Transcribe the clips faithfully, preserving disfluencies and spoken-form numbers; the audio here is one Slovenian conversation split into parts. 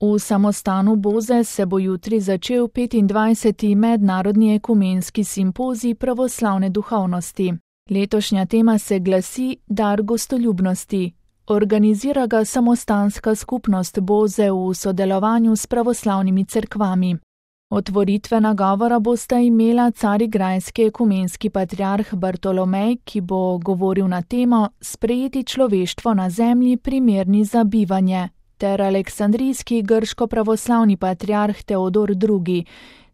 V samostanu Boze se bo jutri začel petindvajseti mednarodni ekumenski simpozij pravoslavne duhovnosti. Letošnja tema se glasi Dar gostoljubnosti. Organizira ga samostanska skupnost Boze v sodelovanju s pravoslavnimi cerkvami. Otvoritvena govora bosta imela carigrajski ekumenski patriarh Bartolomej, ki bo govoril na temo Sprejeti človeštvo na zemlji primerni za bivanje, ter aleksandrijski grško-pravoslavni patriarh Teodor drugi.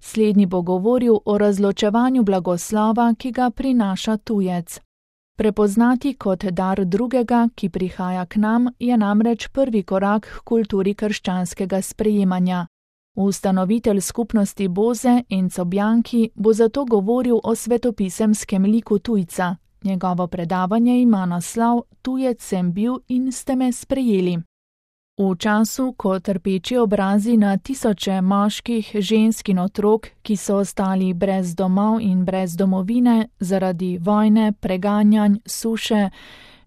Slednji bo govoril o razločevanju blagoslova, ki ga prinaša tujec. Prepoznati kot dar drugega, ki prihaja k nam, je namreč prvi korak k kulturi krščanskega sprejemanja. Ustanovitelj skupnosti Boze, Enzo Bianchi, bo zato govoril o svetopisemskem liku tujca. Njegovo predavanje ima naslov Tujec sem bil in ste me sprejeli. V času, ko trpeči obrazi na tisoče moških, žensk in otrok, ki so ostali brez domov in brez domovine zaradi vojne, preganjanj, suše,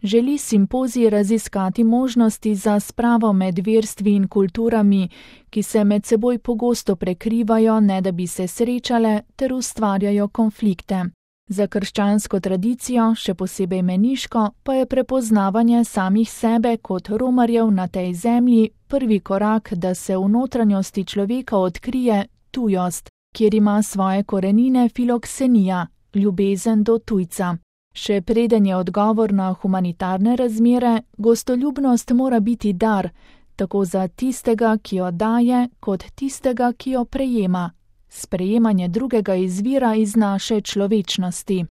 želi simpozij raziskati možnosti za spravo med verstvi in kulturami, ki se med seboj pogosto prekrivajo, ne da bi se srečale, ter ustvarjajo konflikte. Za krščansko tradicijo, še posebej meniško, pa je prepoznavanje samih sebe kot romarjev na tej zemlji prvi korak, da se v notranjosti človeka odkrije tujost, kjer ima svoje korenine filoksenija, ljubezen do tujca. Še preden je odgovor na humanitarne razmere, gostoljubnost mora biti dar, tako za tistega, ki jo daje, kot tistega, ki jo prejema. Sprejemanje drugega izvira iz naše človečnosti.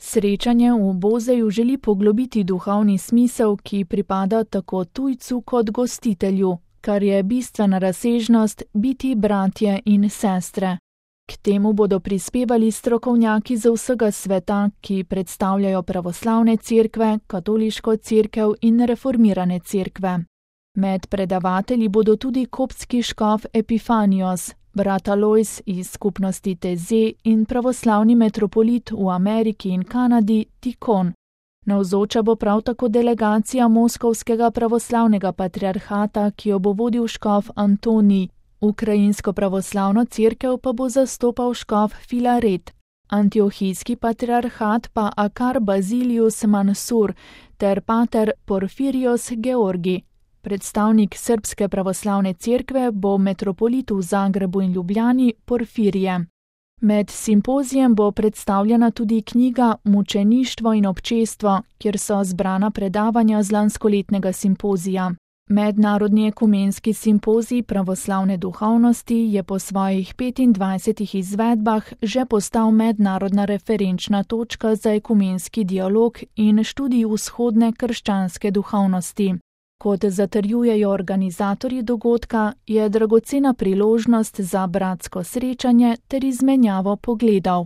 Srečanje v Bozeju želi poglobiti duhovni smisel, ki pripada tako tujcu kot gostitelju, kar je bistvena razsežnost biti bratje in sestre. K temu bodo prispevali strokovnjaki z vsega sveta, ki predstavljajo pravoslavne cerkve, katoliško cerkev in reformirane cerkve. Med predavatelji bodo tudi koptski škof Epifanios, brat Alojz iz skupnosti Teze in pravoslavni metropolit v Ameriki in Kanadi Tikon. Navzoča bo prav tako delegacija Moskovskega pravoslavnega patriarhata, ki jo bo vodil škof Antonij. Ukrajinsko pravoslavno cerkev pa bo zastopal škof Filaret, antiohijski patriarhat pa Akar Bazilius Mansur ter pater Porfirios Georgi. Predstavnik Srbske pravoslavne cerkve bo metropolit v Zagrebu in Ljubljani Porfirije. Med simpozijem bo predstavljena tudi knjiga Mučeništvo in občestvo, kjer so zbrana predavanja z lanskoletnega simpozija. Mednarodni ekumenski simpozij pravoslavne duhovnosti je po svojih petindvajsetih izvedbah že postal mednarodna referenčna točka za ekumenski dialog in študij vzhodne krščanske duhovnosti. Kot zatrjujejo organizatorji dogodka, je dragocena priložnost za bratsko srečanje ter izmenjavo pogledov.